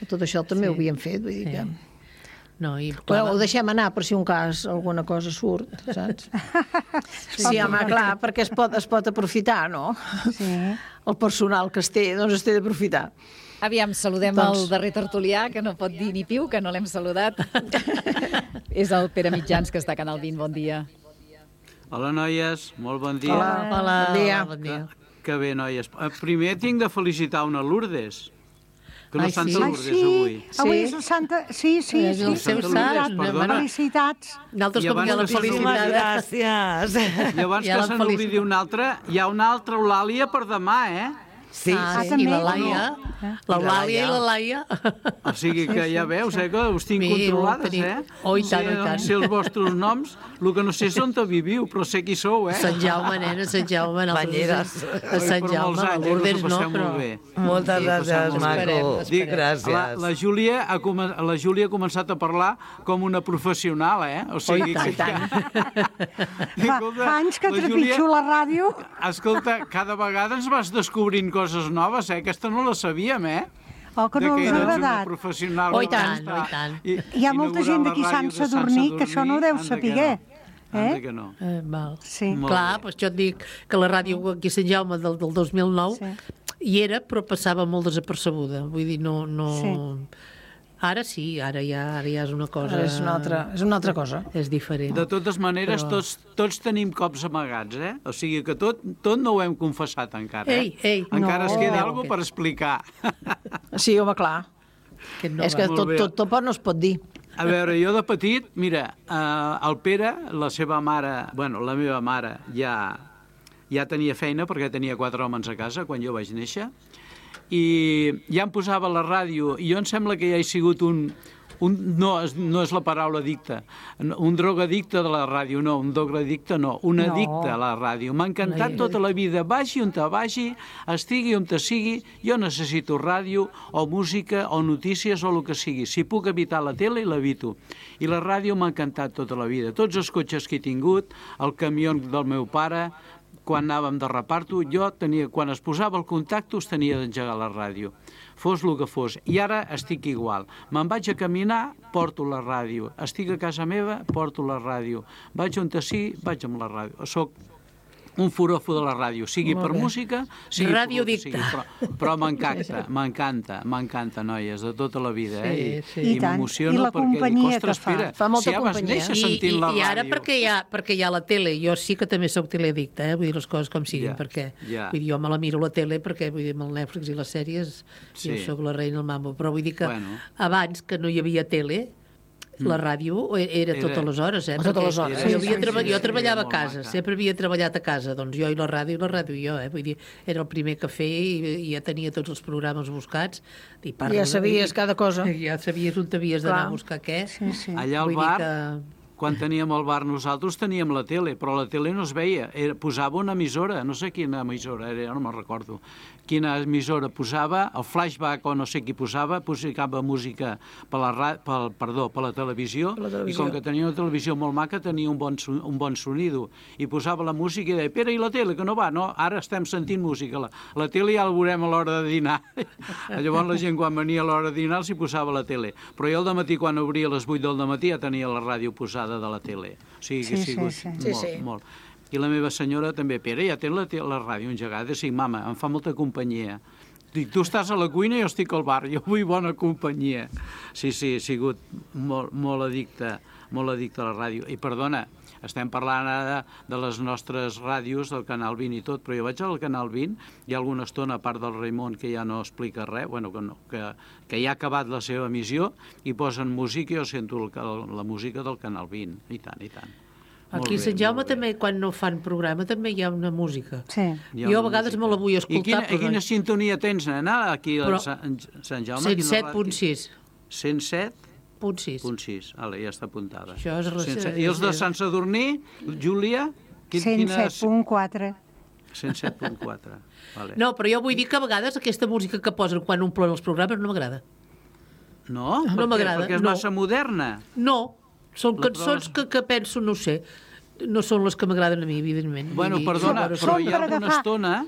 tot això també ho havíem fet, vull dir que... No, però ho deixem anar per si un cas alguna cosa surt, saps? Sí, home, clar, perquè es pot aprofitar, no? Sí. El personal que es té, doncs es té d'aprofitar. Aviam, saludem el darrer tertulià, que no pot dir ni piu, que no l'hem saludat. És el Pere Mitjans, que està a Canal 20. Bon dia. Hola, noies. Molt bon dia. Hola, bon dia. Que bé, noies. Primer tinc de felicitar una Lourdes, que no és Santa Lourdes avui. Avui és el Santa... Sí. És el seu sant. Felicitats. Nosaltres com que la felicitat. Gràcies. I abans que se n'oblidi una altra, hi ha una altra Eulàlia per demà, Sí, i la Laia. L'Eulàlia i la Laia. O sigui que ja veus, que us tinc controlades, Oh, i tant, i tant. Sé els vostres noms, el que no sé és on viviu, però sé qui sou, Sant Jaume, nena, Sant Jaume. Banyeres. A Sant Jaume, a Lourdes no, però... Moltes gràcies, maco. Gràcies. La Júlia ha començat a parlar com una professional, O sigui i tant. Fa anys que trepitjo la ràdio. Escolta, cada vegada ens vas descobrint coses noves, Aquesta no la sabíem, Oh, que no us ha agradat. Professional. I tant. Hi ha molta gent d'aquí Sant Sadurní que això no ho deu saber. Que no. Val. Sí. Clar, doncs jo et dic que la ràdio aquí a Sant Jaume del 2009 hi era, però passava molt desapercebuda. Vull dir, no... Ara sí, ara ja és una cosa... Ara és una altra cosa. És diferent. De totes maneres, tots tenim cops amagats, O sigui que tot no ho hem confessat encara, Encara es queda alguna cosa per explicar. Sí, home, clar. És que tot no es pot dir. A veure, jo de petit, mira, el Pere, la meva mare ja tenia feina perquè tenia 4 homes a casa quan jo vaig néixer, i ja em posava la ràdio, i jo em sembla que ja he sigut no és la paraula addicte, un drogadicte de la ràdio, no, un drogadicte no, un addicte a la ràdio. M'ha encantat tota la vida, vagi on te vagi, estigui on te sigui, jo necessito ràdio o música o notícies o el que sigui. Si puc evitar la tele, l'evito. I la ràdio m'ha encantat tota la vida. Tots els cotxes que he tingut, el camió del meu pare, quan anàvem de reparto, quan es posava el contacte, us tenia d'engegar la ràdio. Fos el que fos. I ara estic igual. Me'n vaig a caminar, porto la ràdio. Estic a casa meva, porto la ràdio. Vaig on sigui, vaig amb la ràdio. Soc un forofo de la ràdio, sigui per música, sigui radiodicta. Però m'encanta, noies, de tota la vida, I m'emociono perquè dic, ostres, Pere, si ja vas néixer sentint la ràdio. I ara perquè hi ha la tele, jo sí que també soc teleaddicta, vull dir les coses com siguin, perquè vull dir, jo me la miro a la tele perquè vull dir, amb el Netflix i les sèries jo soc la reina del mambo, però vull dir que abans que no hi havia tele, la ràdio era totes les hores, Totes les hores. Jo treballava a casa, sempre havia treballat a casa, doncs jo i la ràdio jo, vull dir, era el primer que feia i ja tenia tots els programes buscats. Ja sabies cada cosa. Ja sabies on t'havies d'anar a buscar què. Allà al bar, quan teníem el bar nosaltres teníem la tele, però la tele no es veia, posava una emissora, no sé quina emissora era, no me'n recordo quina emissora posava, el flashback o no sé qui posava música per la televisió, i com que tenia una televisió molt maca tenia un bon sonido, i posava la música i deia, Pere, i la tele, que no va? No, ara estem sentint música, la tele ja la veurem a l'hora de dinar. Llavors la gent quan venia a l'hora de dinar s'hi posava la tele, però jo al dematí quan obria a les 8 del dematí ja tenia la ràdio posada de la tele, o sigui que ha sigut molt. I la meva senyora també, Pere, ja té la ràdio engegada, sí, mama, em fa molta companyia. Dic, tu estàs a la cuina i jo estic al bar, jo vull bona companyia. Sí, he sigut molt addicte a la ràdio. I perdona, estem parlant ara de les nostres ràdios, del Canal 20 i tot, però jo vaig al Canal 20, hi ha alguna estona, a part del Raimon, que ja no explica res, que ja ha acabat la seva emissió, i posen música i jo sento la música del Canal 20. I tant. Aquí a Sant Jaume també, quan no fan programa, també hi ha una música. Sí. Jo a vegades me la vull escoltar. I quina sintonia tens, nena, aquí a Sant Jaume? 107.6. 107.6. Ja està apuntada. Això és I els de Sant Sadurní, Júlia? 107.4. 107.4. No, però jo vull dir que a vegades aquesta música que posen quan omplen els programes no m'agrada. No? No m'agrada. Perquè és massa moderna? No. Són cançons que penso, no sé, no són les que m'agraden a mi, evidentment. Bueno, perdona, però hi ha alguna estona...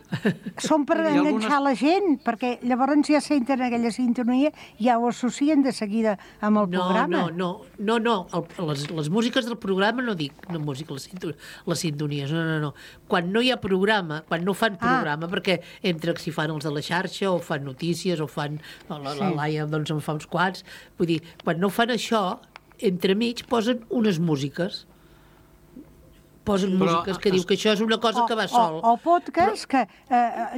Són per enganxar la gent, perquè llavors ja senten aquella sintonia i ja ho associen de seguida amb el programa. No. Les músiques del programa no dic, no música, les sintonies, no. Quan no hi ha programa, quan no fan programa, perquè entre si fan els de la xarxa o fan notícies o fan... La Laia doncs en fa uns quants. Vull dir, quan no fan això... entremig posen unes músiques. Músiques que diu que això és una cosa que va sol. O podcast, que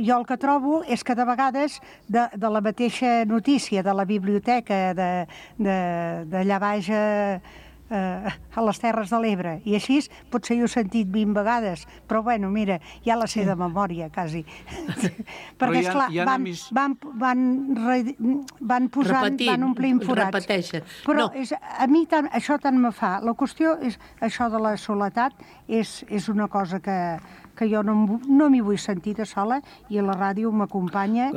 jo el que trobo és que de vegades de la mateixa notícia de la biblioteca d'allà baix a les Terres de l'Ebre, i així potser ho he sentit 20 vegades, però bueno, mira, ja la sé de memòria, quasi. Perquè, esclar, van posant, van omplint forats. Repeteixen. Però a mi això tant me fa. La qüestió és això de la soledat, és una cosa que jo no m'hi vull sentir de sola, i la ràdio m'acompanya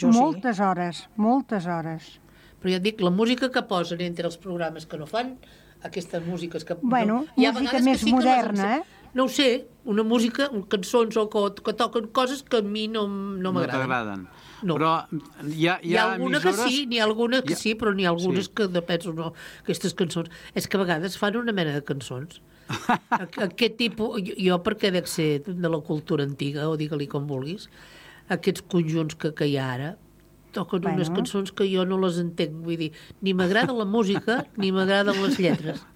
moltes hores. Però ja et dic, la música que posen entre els programes que no fan, aquestes músiques que... Bueno, música més moderna, No ho sé, una música, cançons o que toquen coses que a mi no m'agraden. No t'agraden. No. Però hi ha alguna emissores... que sí, n'hi ha alguna que sí, però n'hi ha algunes que penso, no, aquestes cançons... És que a vegades fan una mena de cançons. Aquest tipus... Jo, perquè dec ser de la cultura antiga, o digue-li com vulguis, aquests conjunts que hi ha ara, toquen unes cançons que jo no les entenc. Vull dir, ni m'agrada la música, ni m'agraden les lletres.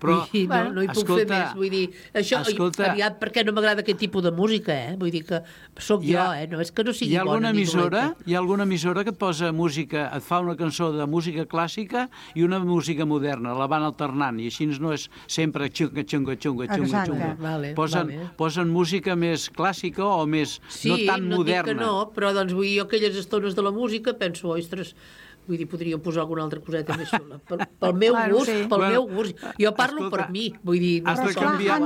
Però, no hi puc fer més. Vull dir, això, aviat, perquè no m'agrada aquest tipus de música, Vull dir que sóc jo, no és que no sigui bona ni dolenta. Hi ha alguna emissora que et posa música, et fa una cançó de música clàssica i una música moderna, la van alternant, i així no és sempre xunga. Posen música més clàssica o més no tan moderna. Sí, no dic que no, però doncs vull dir, jo aquelles estones de la música penso, ostres, vull dir, podria posar alguna altra coseta més xula. Pel meu gust. Jo parlo per mi. Vull dir, has de canviar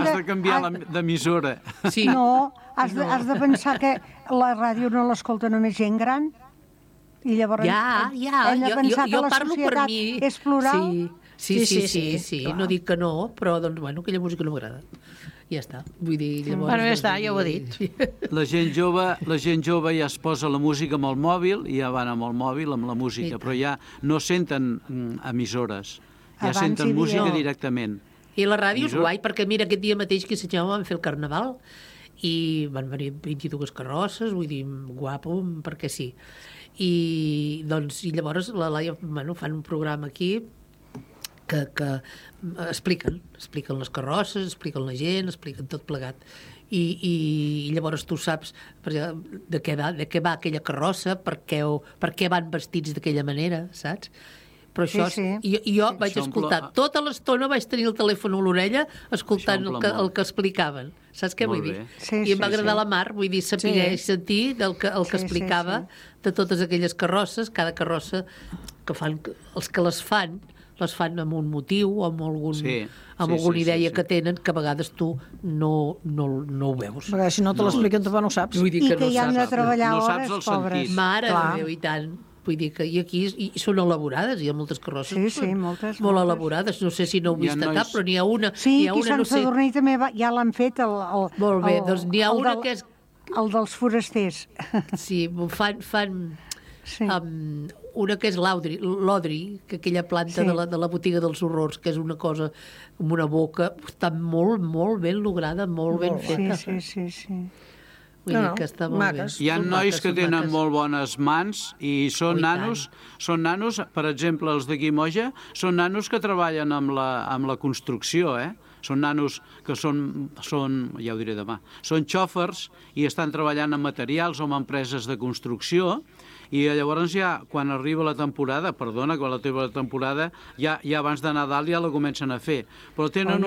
d'emissora. Sí. No, has de pensar que la ràdio no l'escolta només gent gran. I llavors hem de pensar que la societat és plural. Sí. No dic que no, però doncs, bueno, aquella música no m'agrada. Ja està. Vull dir, llavors... Bueno, ja està, ja ho he dit. La gent jove ja es posa la música amb el mòbil, i ja van amb el mòbil, amb la música, però ja no senten emissores, ja senten música directament. I la ràdio és guai, perquè mira, aquest dia mateix que a Sant Jaume van fer el Carnaval, i van venir 22 carrosses, vull dir, guapo, perquè sí. I llavors la Laia, fan un programa aquí, que expliquen les carrosses, expliquen la gent, expliquen tot plegat. I llavors tu saps de què va aquella carrossa, per què van vestits d'aquella manera, saps? Però això, jo vaig escoltar tota l'estona, vaig tenir el telèfon a l'orella escoltant el que explicaven. Saps què vull dir? I em va agradar la mar, vull dir, saber sentir el que explicava de totes aquelles carrosses, cada carrossa que fan, els que les fan amb un motiu o amb alguna idea que tenen, que a vegades tu no ho veus. Perquè si no te l'expliquen, tampoc no ho saps. I que hi han de treballar hores, pobres. Mare de Déu, i tant. Vull dir que aquí són elaborades, hi ha moltes carrosses moltes. Molt elaborades. No sé si no heu vist cap, però n'hi ha una... Sí, aquí a Sant Sadurní també ja l'han fet. Molt bé, doncs n'hi ha una que és... El dels forasters. Sí, fan una que és l'Odri, que aquella planta de la botiga dels horrors, que és una cosa amb una boca, està molt ben lograda, molt ben feta. Sí. Vull dir que està molt bé. Hi ha nois que tenen molt bones mans i són nanos, per exemple, els d'aquí Moja, són nanos que treballen amb la construcció, Són nanos que són, ja ho diré demà, són xòfers i estan treballant en materials o en empreses de construcció, i llavors ja, quan arriba la temporada, ja abans de Nadal ja la comencen a fer. Però tenen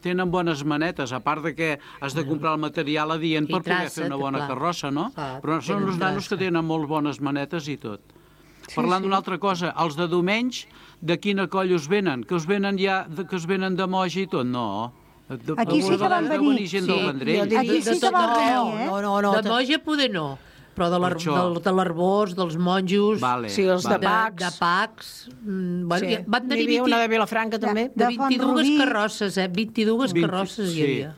tenen bones manetes, a part de que has de comprar el material adient per poder fer una bona carrossa, no? Però són els nanos que tenen molt bones manetes i tot. Parlant d'una altra cosa, els de Domenys, de quina coll us venen? Que us venen de Moja i tot? No. Aquí sí que van venir. Aquí sí que van venir, De Moja poder no. Però de l'Arbós, dels monjos... Sí, els de Pacs. De Pacs. Van tenir una de Vilafranca, també. De 22 carrosses, 22 carrosses hi havia.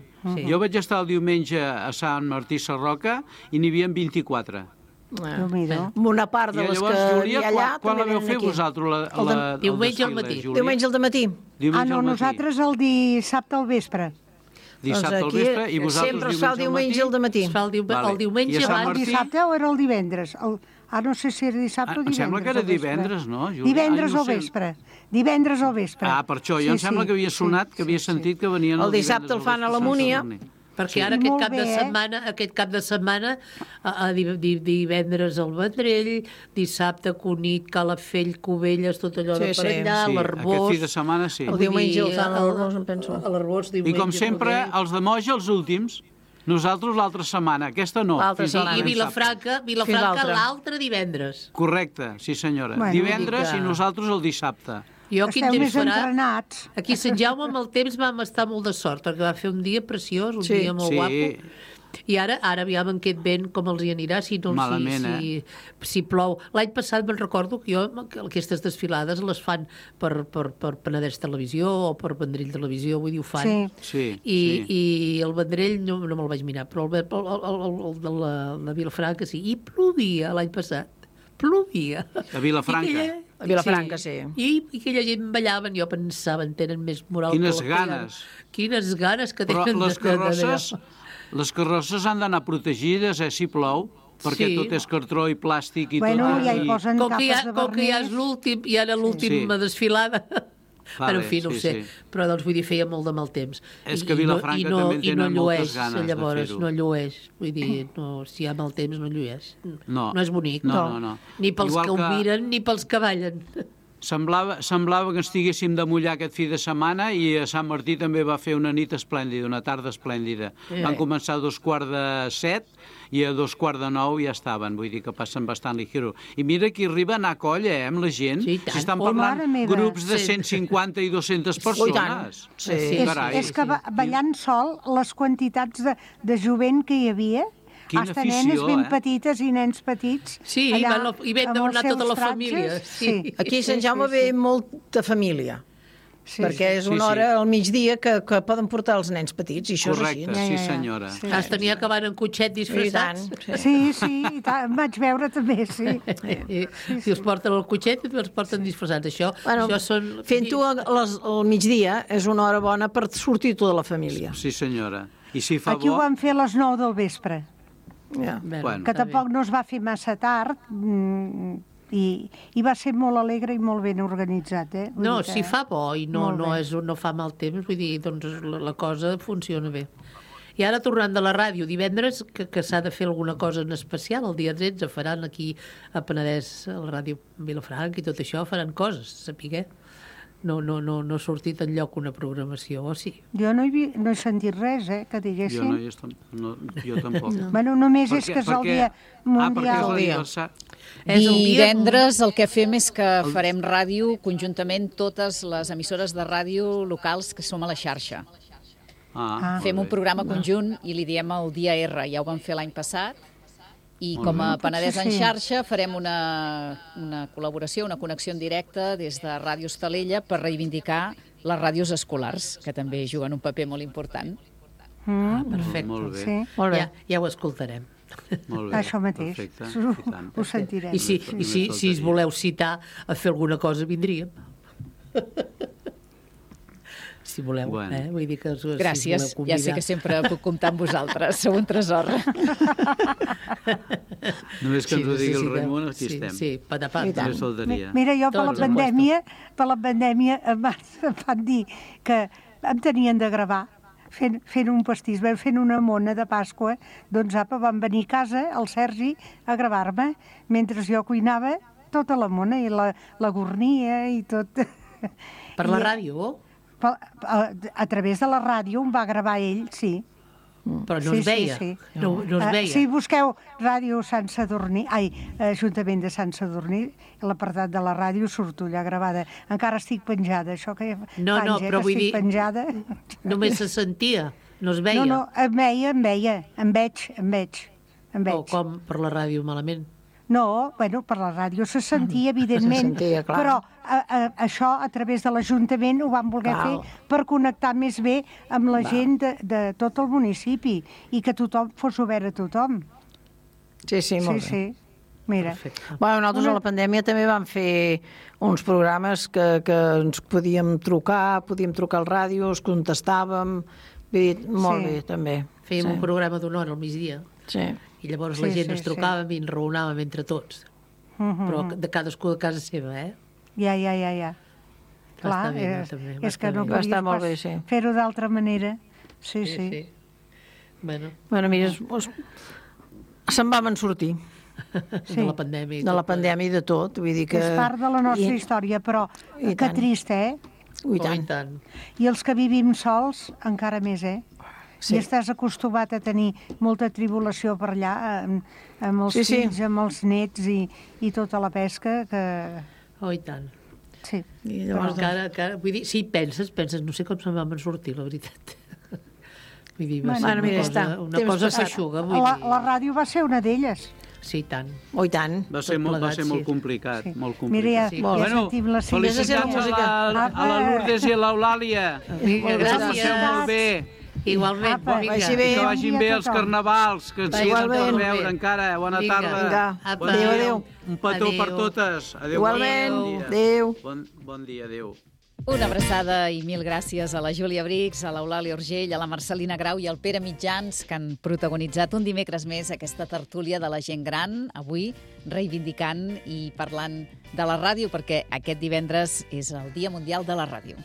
Jo vaig estar el diumenge a Sant Martí Sarroca i n'hi havia 24. Una part de les que hi ha allà... Quan la veu fer vosaltres? Diumenge al matí. Diumenge al matí. No, nosaltres el dissabte al vespre. Dissabte al vespre i vosaltres sempre es fa el diumenge al matí. Es fa el diumenge abans. El dissabte o era el divendres? No sé si era dissabte o divendres. Em sembla que era divendres, no? Divendres al vespre. Divendres al vespre. Per això, jo em sembla que havia sonat, que havia sentit que venien el dissabte el fan a la Múnia. Perquè ara aquest cap de setmana, divendres al Vendrell, dissabte Cunit, Calafell, Cubelles, tot allò de per allà, l'Arbós... Aquest fi de setmana sí. El diumenge el fan a l'Arbós, em penso. I com sempre, els de Moja els últims, nosaltres l'altra setmana, aquesta no. I Vilafranca l'altre divendres. Correcte, sí senyora. Divendres i nosaltres el dissabte. Esteu més entrenats. Aquí a Sant Jaume amb el temps vam estar molt de sort, perquè va fer un dia preciós, un dia molt guapo. I ara aviam en aquest vent com els hi anirà, si plou. L'any passat me'n recordo que aquestes desfilades les fan per Penedès Televisió o per Vendrell Televisió, vull dir, ho fan. I el Vendrell no me'l vaig mirar, però el de la Vilafranca sí. I plovia l'any passat. Plovia. A Vilafranca? A Vilafranca, sí. I aquella gent ballaven, jo pensava, tenen més moral que Quines ganes. Quines ganes que tenen. Però les carrosses han d'anar protegides, si plou, perquè tot és cartró i plàstic i tot. Ja hi posen capes de vernís. Com que ja és l'últim, i ara l'última desfilada. Però, en fi, no ho sé. Però, doncs, vull dir, feia molt de mal temps. És que Vilafranca també tenen moltes ganes de fer-ho. No llueix. Vull dir, si hi ha mal temps, no llueix. No és bonic. No. Ni pels que ho miren, ni pels que ballen. Semblava que estiguéssim de mullar aquest fi de setmana i a Sant Martí també va fer una nit esplèndida, una tarda esplèndida. Van començar a 7:15 i a 9:15 ja estaven, vull dir que passen bastant ligero. I mira que arriba a anar a colla, amb la gent. Si estan parlant grups de 150 i 200 persones. És que ballant sol, les quantitats de jovent que hi havia, hasta nenes ben petites i nens petits. Sí, i vam demanar tota la família. Aquí a Sant Jaume ve molta família. Perquè és una hora al migdia que poden portar els nens petits, i això és així. Correcte, sí senyora. Has tenia que van en cotxet disfressats. Sí, i tant, vaig veure també, sí. Si els porten al cotxet, els porten disfressats. Això són... Fent-ho al migdia és una hora bona per sortir tota la família. Sí senyora. I si fa bo... Aquí ho van fer a les 9 del vespre. Que tampoc no es va fer massa tard i va ser molt alegre i molt ben organitzat. No, si fa bo i no fa mal temps, vull dir, doncs la cosa funciona bé. I ara, tornant de la ràdio, divendres, que s'ha de fer alguna cosa en especial, el dia 13 faran aquí a Penedès, a la ràdio Vilafranca i tot això, faran coses, sapiguer. No ha sortit enlloc una programació, o sí? Jo no he sentit res, que diguéssim. Jo tampoc. Bueno, només és que és el dia mundial. Divendres el que fem és que farem ràdio conjuntament totes les emissores de ràdio locals que som a la xarxa. Fem un programa conjunt i li diem el dia R, ja ho vam fer l'any passat. I com a Penedès en xarxa farem una col·laboració, una connexió en directe des de Ràdio Estalella per reivindicar les ràdios escolars, que també juguen un paper molt important. Perfecte. Molt bé. Ja ho escoltarem. Això mateix. Ho sentirem. I si es voleu citar a fer alguna cosa, vindríem. Si voleu, vull dir que gràcies, si voleu ja sé que sempre puc comptar amb vosaltres, sou un tresor. Només que ens ho digui el Raimon, aquí estem. Sí, patapam. Mira, jo per la pandèmia em van dir que em tenien de gravar fent un pastís, fent una mona de Pasqua, doncs apa, van venir a casa el Sergi a gravar-me, mentre jo cuinava tota la mona i la gornia i tot. Per la ràdio? A través de la ràdio em va gravar ell, sí. Però no es veia? No es veia? Si busqueu Ràdio Sant Sadurní, Ajuntament de Sant Sadurní, l'apartat de la ràdio surto allà gravada. Encara estic penjada, això que fa anys que estic penjada. Només se sentia, no es veia? No, em veig. O com per la ràdio malament? No, bueno, per la ràdio se sentia, evidentment, però això a través de l'Ajuntament ho van voler fer per connectar més bé amb la gent de tot el municipi i que tothom fos obert a tothom. Sí, molt bé. Sí, mira. Bueno, nosaltres a la pandèmia també vam fer uns programes que ens podíem trucar al ràdio, es contestàvem, molt bé, també. Fèiem un programa d'una hora al migdia. Sí. I llavors la gent ens trucàvem i ens raonàvem entre tots. Però de cadascú de casa seva, Ja. Clar, és que no podies fer-ho d'altra manera. Sí. Bueno, mira, se'n vam en sortir. De la pandèmia. De la pandèmia i de tot. Vull dir que... És part de la nostra història, però que trist, I tant. I els que vivim sols, encara més, I estàs acostumat a tenir molta tribulació per allà, amb els fills, amb els nets i tota la pesca que... Oh, i tant. Sí. I llavors encara, vull dir, si penses, no sé com se'n vam sortir, la veritat. Vull dir, va ser una cosa feixuga. La ràdio va ser una d'elles. Sí, i tant. Oh, i tant. Va ser molt complicat, molt complicat. Mira, ja sentim la felicitats a la Lourdes i a l'Eulàlia. Gràcies. Molt bé. Igualment, que vagin bé els carnavals, que ens siguin per veure encara. Bona tarda. Adéu. Un petó per totes. Igualment. Adéu. Bon dia, adéu. Una abraçada i mil gràcies a la Júlia Brix, a l'Eulàlia Urgell, a la Marcelina Grau i al Pere Mitjans, que han protagonitzat un dimecres més aquesta tertúlia de la gent gran, avui reivindicant i parlant de la ràdio, perquè aquest divendres és el Dia Mundial de la Ràdio.